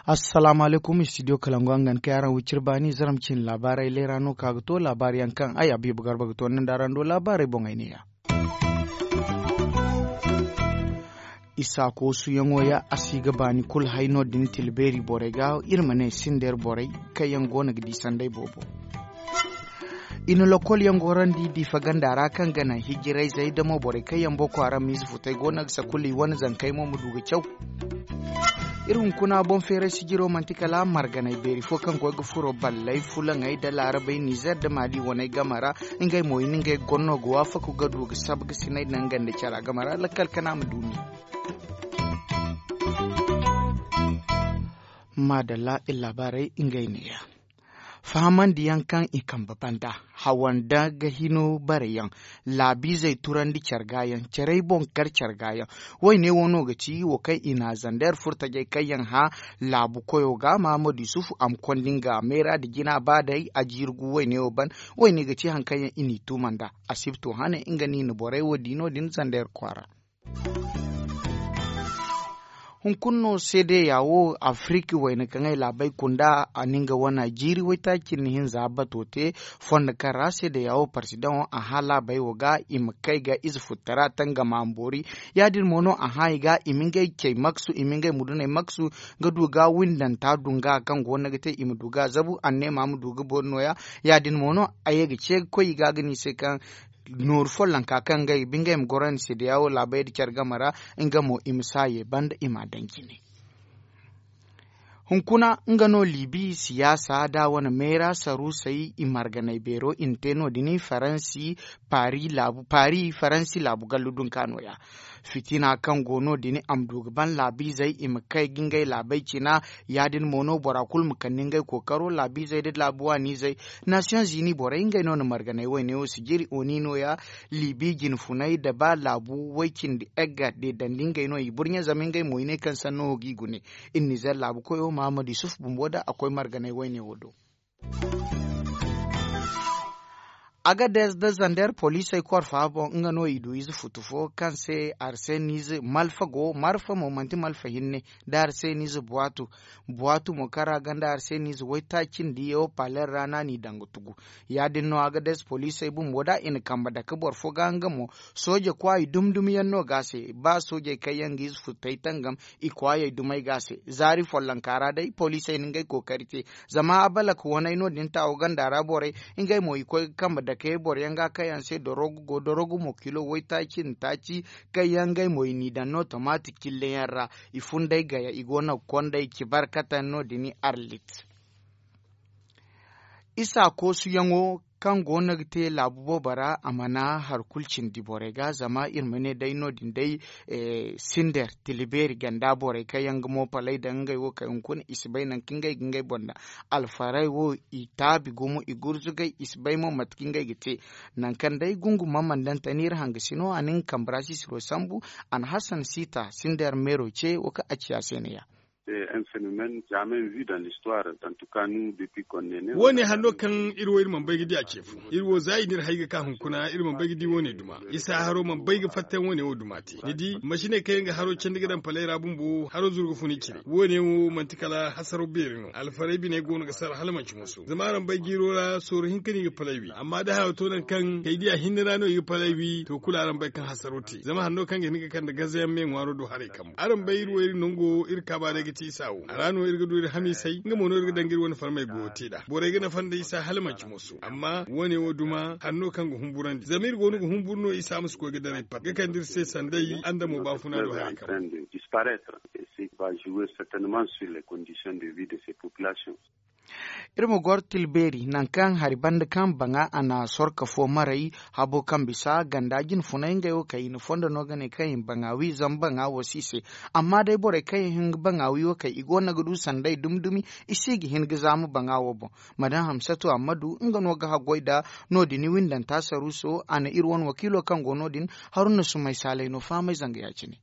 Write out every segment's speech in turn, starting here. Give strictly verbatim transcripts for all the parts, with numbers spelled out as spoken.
Assalaamu alaykum, studio kalangu, araŋ ga ni kay araŋ wiciri baani zaram cine laabaarey leera no ka ga to laabaari yaŋ kaŋ ay abiiba garba ga to ni nda araŋ do laabaarey boŋey neeya. Isa koosuyaŋo ya a si ga baani kulu hay no- din tilbeeri borey ga iri ma ne sindeer borey kaŋ yaŋ go no ga di sanday boobo. I na lokol yaŋ gorandi diifa ganda ra kaŋ ga naŋ hijirayzey da mo borey kaŋ yaŋ boko haram miize futey go no ga sakulu i wane zankey mo ma du ga caw. Iri hunkuna boŋ feeray sijiro manti kala marganay beeri fo kaŋ koy ga furo balley fulaŋey da laarabey nizer da maali waney game ra. Ngey mo i na ngey gonno ga waafaku ga du ga sabu ga sinay naŋ ganda cara game ra lakkal kana ma duumi. Maadalla iri laabaarey ngey neeya. Fahamandiyaŋ kaŋ i kambe banda hawanda ga hino bare yaŋ laabiizey turandi care ga yaŋ carey boŋ kar care ga yaŋ. Woyne wo no ga ci wo kaŋ i na zander furtajey kaŋ yaŋ hã laabu koyo ga mahamadu yusufu a ma konda nga meera nda jina ba day a jiiri gu woyne wo ban. Woyne ga ci hari kaŋ yaŋ i n'i tuuma nd'a. Asibto hane nga no i na borey wo di no- din zander kwaara. Hunkuna no seedeya wo afiriki wayna kaŋ ay laabey kunda a na nga wane jiiri waytaaci cindi hinza bato te. Fondo kaŋ ra seedeya wo parsidaŋo a hã laabey wo ga i ma kay ga ize futtara tangama ma boori. Ya- din mo no a hã i ga i ma ngey cey maksu i ma ngey muduney maksu ga du ga windanta dunga kaŋ go no ga te i ma du ga zabu anneema ma du ga boori no- ya. Ya- din mo no a ye ga ce ga koy i ga ga ne i se kaŋ nooru follonka kaŋ ngey bingey ma goro ni seedeya wo laabey nda care game ra. Nga mo i ma saaye banda i m'a daŋ jine. Hunkuna nga no liibi siyaasa da wane meera saruusey i marganay beero i na te no- din faransi paari faransi laabu gallu dunka no- ya. Fitina kaŋ go no- din a ma du ga ban laabiizey i ma kay ga ngey laabey cina. Ya- din mo no bora kulu ma kande ngey kookaro laabiizey nda laabu waaniizey. Nasiyoŋ zini borey ngey no na marganay wayne wo si jiri oni no- ya. Liibi jinfuney nda ba laabu way cindi egga deedandi ngey no i burɲe zama ngey mo i ne kaŋ sanno wo g'i gune. Iri nizer laabu koyo mahamadu yusuf bumbo nda a koy marganay wayne wo do. Agades nda zander poliisey korfa boŋ nga no i du ize futu fo kaŋ se arsenize malfa go marfa mo manti malfa hinne. Nda arsenize buwaatu buwaatu mo kaŋ ra ganda arsenize waytaaci nda yawo paler ra no a n'i daŋ ga tugu. Ya- din no agades poliisey bumbo da i na kambe dake boro fo ga nga mo. Sooje kwaayi dumi dumi yaŋ no ga a se ba soojey kaŋ yaŋ ga ize futey tangam i kwaayey dumey ga a se. Zaari follonka ra day poliisey na ngey kookari te. Zama abalak waney no- din taawo ganda ra borey ngey mo i koy ga kambe dake boro yaŋ ga kaŋ yaŋ se dorogu go dorogu mo kilo waytaaci nda taaci. Kaŋ yaŋ ngey mo i n'i daŋ no tomaati cille yaŋ ra. I funday gaya i go no ga kondey ci barkataŋ no- din arlit. Isa koosuyaŋo kaŋ go no ga te laabu boobo ra a mana hari kulu cindi borey ga zama iri ma ne day no- din day. Sinder tila beeri ganda borey kaŋ yaŋ ga mo palay daŋ ngey wo kay hunkuna i si bay nangu kaŋ ngey ga ngey boŋ daŋ. Alfarey wo i taabi gumo i gurzugay i si bay mo mate kaŋ ngey ga te. Nangu kaŋ day gungu mamandante no iri hangasino a na nga kambe ra sisiro sambu. A na hasan siita sinder meero ce wo kaŋ a ci a se ne ya. Wo- ne hanno kaŋ iri wo iri mana bay ga di a ce fo iri wo za i n'iri hay ga ka hunkuna iri mana bay ga di wo- ne duma. Isa haro mana bay ga fatta yaŋ wo- ne wo duma te ni di masiney kaŋ yaŋ ga haro candi ga daŋ palay ra bumbo haro zuru ga fun i cire wo- ne wo manti kala hasaro beeri no alfarey biney go no ga sara hala manci musu zama araŋ bay jiiro ra sooru hinka no i ga palay wi amma da hayo to nangu kaŋ kay diya hinne ra no i ga palay wi to kulu araŋ bay kaŋ hasaro te zama hanno kaŋ ga hin ga kande gazayaŋ me ŋwaaro do haray kambu araŋ bay iri wo iri nango iri kaaba day ga te isa wo a ra no iri ga du iri hamiisay nga mo no iri ga daŋ ga iri wane farmey goyo te nd'a borey ga nafa nda isa hala manci musu amma wo- ne wo duma hanno kaŋ ga humburandi zama iri go no ga humburu no isa ma si koy ga daray pat ga kande iri se sanday andamo baafuna do haray kambu. Iri ma goro tilbeeri nangu kaŋ hari banda kaŋ baŋa a na sorka fo maray habo kaŋ bisa ganda jinfunay ngey wo kay i na fondo no ga ne kaŋ i ma baŋa wi zama baŋa wo si i se. Amma day borey kaŋ yaŋ hin ga baŋa wi wo kay i go no ga du sanday dumi dumi i si ga hin ga zaama baŋa wo boŋ. Madam hamsatu ammadu nga no ga haggoy nda no- din windanta saruuso a na iri wane wakiilo kaŋ go no- din haruna sumay saalay no fahamay zanga ya- cine.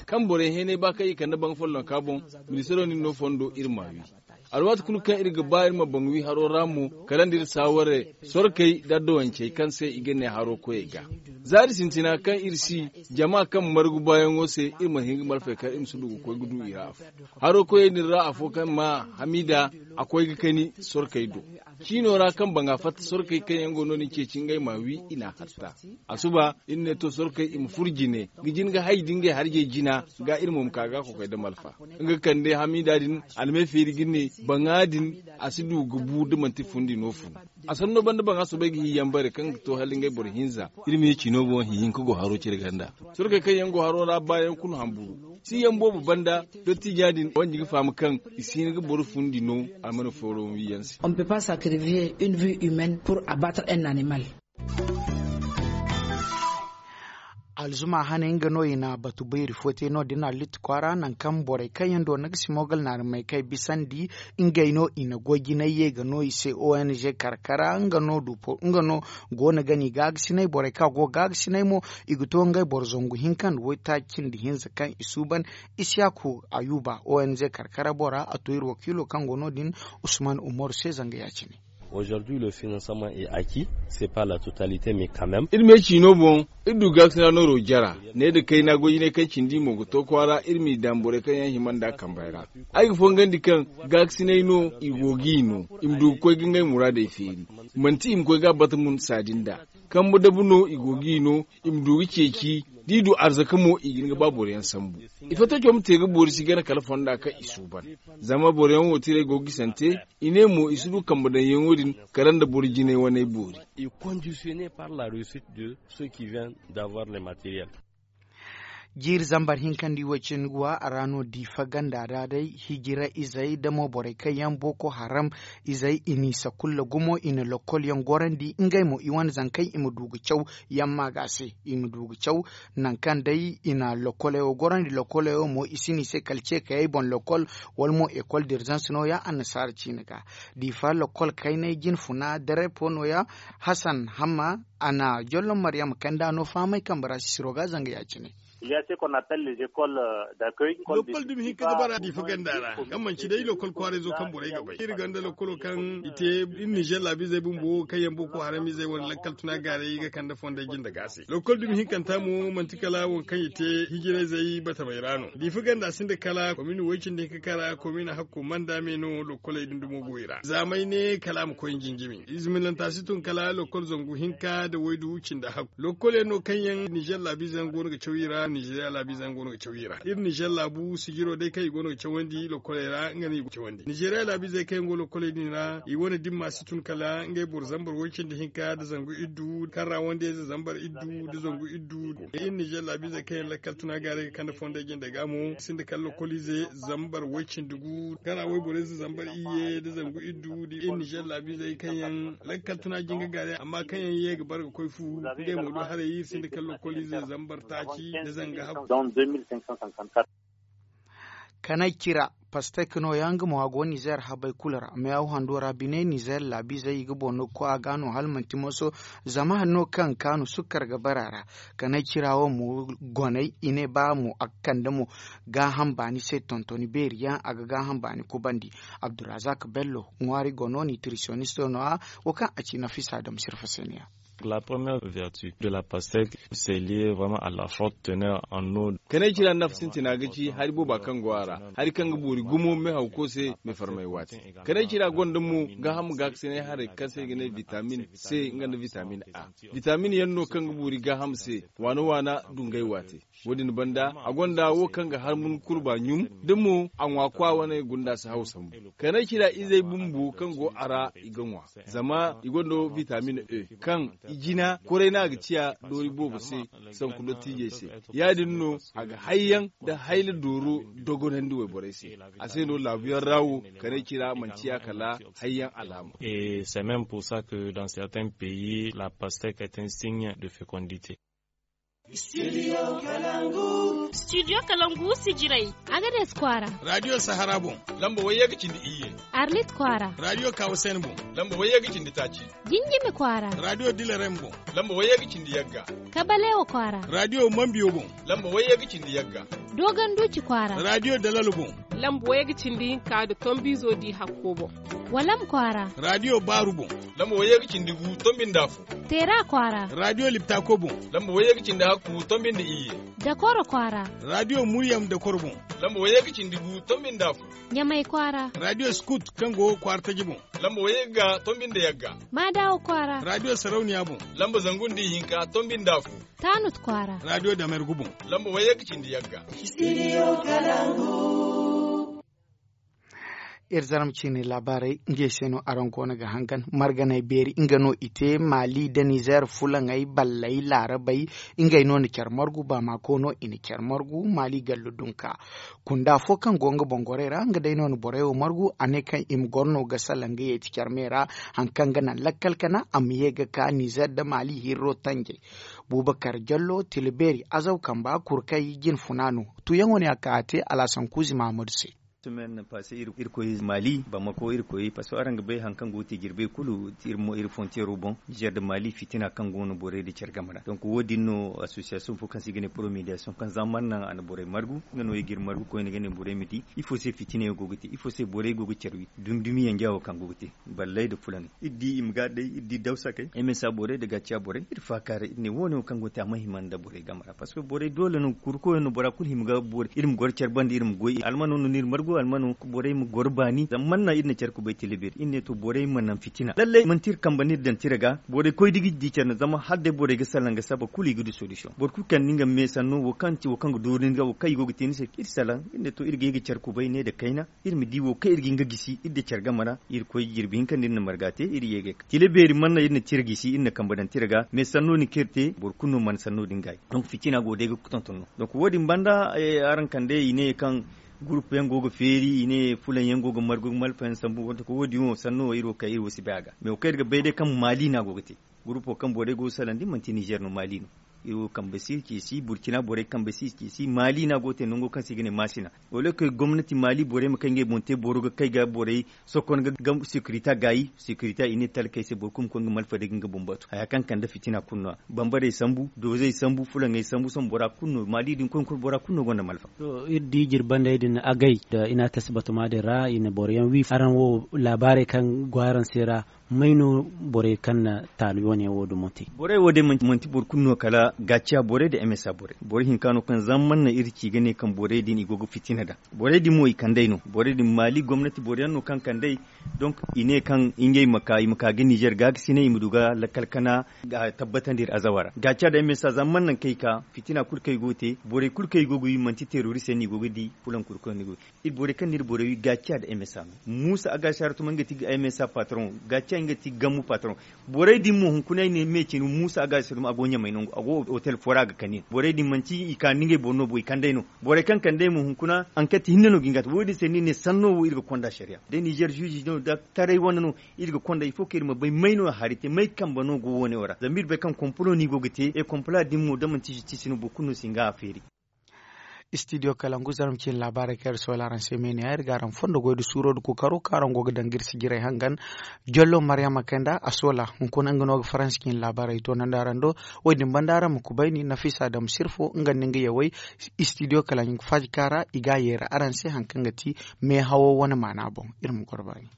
Kaŋ borey heenay ba kaŋ i kande baŋ follonka boŋ ministaro nin no fondo iri ma wi. Alwaati kulu kaŋ iri ga ba iri ma baŋ wi haro ra mo, kala nda iri saaware sorkey nda adduwancey kaŋ se i ga ne haro koyey ga. Zaari sintina kaŋ iri si jama kaŋ margu baayaŋo se, iri mana hin ga malfey kar iri ma si du ga koy ga du i ra afo. Haro koyey din ra afo kaŋ ma hamiida, a koy ga kani sorkey do. Ciino ra kaŋ baŋa fatta sorkey kaŋ yaŋ go no-din ceeci ngey ma wi i n'a hatta. Asuba iri ne to sorkey i ma furo jine ga jin ga hay da ngey harjey jina ga, iri mo ma ka ga kokoy da malfa. Nga kande hamiida din almey feeri ga ne baŋa din a si du ga bu da manti fundi no fun. A sanno banda baŋa soobay ga hiyaŋ bare kaŋ ga to hala ngey boro hinza. Iri ma ye ciino boŋ hihinka go haro cire ganda. Sorkey kaŋ yaŋ go haro ra baayaŋ kulu hamburu. Siyaŋ boobo banda, dottiija din wanji ga faham kaŋ i si hin ga boro fundi no a mana fooro wiyaŋ se. On ne peut pas sacrifier une vie humaine pour abattre un animal. Alzuma hane nga no i na batu bayri fo te no- din alit kwaara nangu kaŋ borey kaŋ yaŋ do na ga simogal naari may kay bisandi. Ngey no i na goy jinay ye ga no i se ong karkara nga no go no ga ni gaagasinay borey kaŋ a go gaagasinay mo. I ga to ngey boro zangu hinka nda waytaaci nda hinza kaŋ i suuban. Isiyaku ayuba ong karkara bora a to iri wakiilo kaŋ go no- din usman umaru se zanga ya- cine. Aujourd'hui le financement est acquis. C'est pas la totalité mais quand même. Iri me ciino boŋ iri du gaakasina nooro jara ne nda kayna goy jinay kaŋ cindi mo ga to kwaara iri m'i daŋ borey kaŋ yaŋ hima nd'a kambey ra. Ay ga fongandi kaŋ gaakasinay no i go g'i no i ma du ga koy ga ngey muraadey feeri. Manti i ma koy ga a bata mun saadi nd'a. Kambe dabu no i go g'i no i ma du ga ceeci. Da i du arzaka mo i ga hin ga ba boro yaŋ sambu. Ifo taco ma te ga boori si gana kala fonda kaŋ i suuban. Zama boro yaŋ wo tiray go ga gisante. I ne mo i si du kambe daŋyaŋo din kala nda boro jinay waney boori. I conditionne par la réussite de ceux qui viennent d'avoir le matériel. Jiiri zambar hinka nda i way cindi ga wa a ra no diifa ganda ra day hijira izey da mo borey kaŋ yaŋ booko haram. Izey i n'i sakulla gumo i na lokkol yaŋ gorandi ngey mo i wane zankey i ma du ga caw. Yamma ga se i ma du ga caw. Nangu kaŋ day i na lokkoley wo gorandi lokkoley wo mo i si n'i se kala ceekayey boŋ lokkol wala mo ekol dirzans no- ya annasaara ciine ga. Diifa lokkol kaynay jinfuna darepo no- ya. Hasan hamma a na jollo maryama kanda no fahamay kambe ra sisiro ga zanga ya- cine. Lokkol dumi hinka ga bara diifa ganda ra kaŋ manci day lokkol kwaarayzo kaŋ borey ga bay iri gonda lokkolo kaŋ i te iri nizer laabiizey bumbo kaŋ yaŋ boko haram izey wane lakkal tuna gaaray ga kande fonday jinde ga se lokkol dumi hinkanta mo manti kala waŋ kaŋ i te hijirayzey batamey ra no diifa ganda sinda kala komini way cindi hinka kara komini hakko manda me no lokkoley din dumo go i ra zaamay ne kala a ma koy jinjimi ize minanta si tun kala lokkol zangu hinka nda waydu cindi hakku lokkol yaŋ no kaŋ yaŋ nizer laabiizey yaŋ go no ga caw i ra nizeriya laabiizey yaŋ go no ga caw i ra iri nizer laabu sijiro day kaŋ i go no ga cawandi lokkoley ra nga no i go ga cawandi nizeriya laabiizey kaŋ yaŋ go lokkoley din ra i wane dimma si tun kala ngey boro zambar way cindi hinka nda zangu iddu kaŋ ra wandiyayze zambar iddu nda zangu iddu iri nizer laabiizey kaŋ yaŋ lakkal tuna gaaray ga kande fonday jinde ga mo sinda kala lokkoliize zambar way cindi gu kaŋ ra wayborayze zambar iyye nda zangu iddu nda iri nizer laabiizey kaŋ yaŋ lakkal tuna jinga gaaray amma kaŋ yaŋ ye ga bara ga koy fu ngey mo do haray iri sinda kala lokkoliize zambar taaci nda zanga hakku. Kanay cira pastek no ya nga mo a go nizer habay kulu ra meyaw hando ra bine nizer laabiizey i ga boŋ no ga koy a ga no hala manti moso. Zama hanno kaŋ kaanu sukkar ga bara a ra kanay cira wo mo goney i ne ba mo a ga kande mo gaaham baani se tontoni beeri yaŋ a ga gaaham baani kubandi. Abdurazak bello ŋwaari gono nitrisionisto no- ya wo kaŋ a ci nafisa dam sirfa se no- ya. La première vertu de la pastèque c'est lié vraiment à la forte teneur en eau. Kanay cira nafa sintina ga ci hari booba kaŋ go a ra hari kaŋ ga boori gumo me hawko se me farmay waate. Kanay cira gonda mo gaaham gaakasinay haray kaŋ se i ga ne vitamin c nga nda vitamin a. Vitamin yaŋ no kaŋ ga boori gaaham se waana waana dungay waate. Wo- din banda a gonda wo kaŋ ga harmun kurba ɲum da mo a ŋwa kwa wane gunda si haw sambu. Kanay cira izey bumbo kaŋ go a ra i ga ŋwa zama i gonda vitamin e kaŋ i jina koray no a ga ciya doori boobo se. Sanku dottiijey se ya- din no a ga hayyaŋ nda hayla dooro dogonandi wayborey se. A se no laabuyaŋ ra wo kanay cira manti ya kala hayyaŋ alaama. Et c'est même pour ça que dans certains pays la pastèque est un signe de fécondité. Studio kalangu sijiray. Agades kwaara. Radio sahara boŋ. Lamba wayye ga cindi iyye. Arlit kwaara. Radio kawasen boŋ. Lamba wayye ga cindi taaci. Jinjimi kwaara. Radio dilarem boŋ. Lamba wayye ga cindi yagga. Kabalewa kwaara. Radio mambiyo boŋ. Lamba wayye ga cindi yagga. Dogon duci kwaara. Radio dalal boŋ. Lamba wayye ga cindi hinka nda tombiizo di hakko boŋ. Walam kwaara. Raadiyo baaru boŋ. Lamba wayye ga cindi gu tombi nda afo. Teera kwaara. Raadiyo liptako boŋ. Lamba wayye ga cindi hakku tombi nda iyye. Dakoro kwaara. Raadiyo muryam dakoro boŋ. Lamba wayye ga cindi gu tombi nda afo. Ɲamay kwaara. Raadiyo skut kaŋ go kwaara taji boŋ. Lamba wayye ga tombi nda yagga. Maadawa kwaara. Raadiyo sarauniya boŋ. Lamba zangu nda ihinka tombi nda afo. Taanut kwaara. Raadiyo damergu boŋ. Lamba wayye ga cindi yagga. Studio Kalangu. Iri zarma ciine laabaarey ngey se no araŋ goono ga hangan marganey beeri nga no i te maali nda nizer fulaŋey balley laarabey. Ngey no na care margu baamako no i na care margu maali gallu dunka. Kunda fo kaŋ go nga boŋ gorey ra nga day no na borey wo margu a ne kaŋ i ma goro no ga salaŋ ga yeeti care me ra. Hari kaŋ ga naŋ lakkal kana a ma ye ga ka nizer nda maali hirro tanjey. Bubakar jallo tila beeri azaw kamba kurkey jine funa no. Tuyaŋo ne a ka a te alaasan kuuzi mahamadu se. Semaine passe irkoy maali bamako irkoy parce que araŋ ga bay hari kaŋ go ga te jirbey kulu iri fontiyeero boŋ nizer nda maali fitina kaŋ go no borey nda care game ra donk wo- din no association fo kaŋ se i ga ne promédiation kaŋ za mana naŋ a na borey margu nga no i ga iri margu koyne ga ne borey ma di ifo se fitina yaŋ go ga te ifo se borey go ga care wi dumi dumi yanja wo kaŋ go ga te balley nda fulaŋey iri di i ma ga day iri di dawsakey msa borey nda gaciya borey iri faakaaray iri ne wo- ne wo kaŋ go ga te a ma hima nda borey game ra parce que borey doole no kurkoyaŋ no bora kulu hima ga iri ma goro care banda iri ma goy almano no no iri margu almano borey ma goro baani zama mana naŋ iri na care kubay tila beeri iri ne to borey ma naŋ fitina lallay manti iri kambe no iri daŋ tira ga borey koy da i ga di care no zama hala day borey ga salaŋ ga saba kulu i ga du solution boro kulu kaŋ ni nga me sanno wo kaŋ ga dooru ni ga wo kaŋ i go ga te ni se iri salaŋ iri ne to iri ga ye ga care kubay ne nda kayna iri ma di wo kaŋ iri ga hin ga gisi iri da care game ra iri koy jirbi hinka nda iri na marga te iri ye ga tila beeri mana naŋ iri na tira gisi iri na kambe daŋ tira ga me sanno ni kaŋ iri te boro kulu no mana sanno din gaayi donk fitina go day ga tonton no donk wo- din banda araŋ kande i ne kaŋ gurupu yaŋ go ga feeri i ne fulaŋ yaŋ go ga margu ga malfa yaŋ sambu wante ko wo- din wo sanno wo iri wo kay iri wo si bay a ga me wo kaŋ iri ga bay day kaŋ maali no a go ga te gurupo kaŋ borey go ga salandi manti nizer no maali no iri wo kambe si ceesi burkina borey kambe si ceesi maali no a go ga te nango kaŋ se i ga ne maasina wala kay gomnati maali borey ma kay ngey boŋ te boro ga kay ga borey sokon ga sekirita gaayi sekirita i ne talkey se boro kulu ma koy nga malfa day ga nga boŋ batu haya kaŋ kande fitina kulu no- ya bambarey sambu doozey sambu fulaŋey sambu sohõ bora kulu no maali din koy kulu bora kulu no gonda malfa. To iri di jirbandey din agay nda i na a tasi batuma din ra i na boro yaŋ wi araŋ wo laabaarey kaŋ go araŋ se ra may no borey kaŋ na taalu yoone wo dumo te borey wo day manti boro kulu no kala gaaciya borey nda msa borey boro hinka no kaŋ zamman naŋ iri ci ga ne kaŋ borey din i go ga fitina daŋ borey din mo i kand'ey no borey din maali gomnati boro yaŋ no kaŋ kand'ey donk i ne kaŋ ngey ma ka i ma ka ga nizer gaakasinay i ma du ga lakkal kana ga tabbatandi iri azawa ra gaaciya nda msa zamman naŋ kaŋ i ka fitina kulu kaŋ i go ga te borey kulu kaŋ i go ga wi manti terorist yaŋ no i go ga di fulaŋ kulu kaŋ yaŋ no i go ga wi iri borey kaŋ no iri borey wi gaaciya nda msa no muusa a ga si haratuma nga ti msa patron gaaciya nga ti gammu patron borey din mo hunkuna ay ne me cine muusa a ga si haratuma a go ɲamay nangu a go hotel fo ra a ga kani borey din manti i ka nda ngey boro no bo i kand'ey no borey kaŋ kand'ey mo hunkuna anket hinne no ga hin ga a te wo- din se no i ne sanno wo iri ga konda sariya da nizer zuuzi no da taray wane no iri ga konda il faut kaŋ iri ma bay may no a hari te may kambe no go wo- ne wo ra zama iri bay kaŋ kompolo no i go ga te e kompola din mo da manti justice no boro kulu no si hin ga a feeri. Studio kalangu zarma ciine laabaarey kaŋ iri soola araŋ se me ne ya iri ga araŋ fondo goy nda suuro nda kookaro kaŋ araŋ go ga daŋ ga iri sijirey hangan jollo mariyama kayna nda a soola hunkuna nga no ga faransi ciine laabaarey toonandi araŋ do. Wo- din banda araŋ ma kubayni nafisa daŋ ma sirfo nga nda nga yawey studio kalangu faajika ra i ga a yeera araŋ se hari kaŋ ga ti meehawo wane maana boŋ. Iri ma goro baani.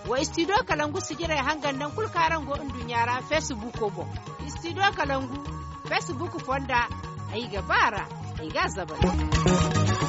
Wa studio kalangu sijirey hangan naŋ kulu kaŋ araŋ go nduɲɲa ra feesibuko boŋ. Studio kalangu feesibuku fonda ay ga ba a ra ay ga a zabari.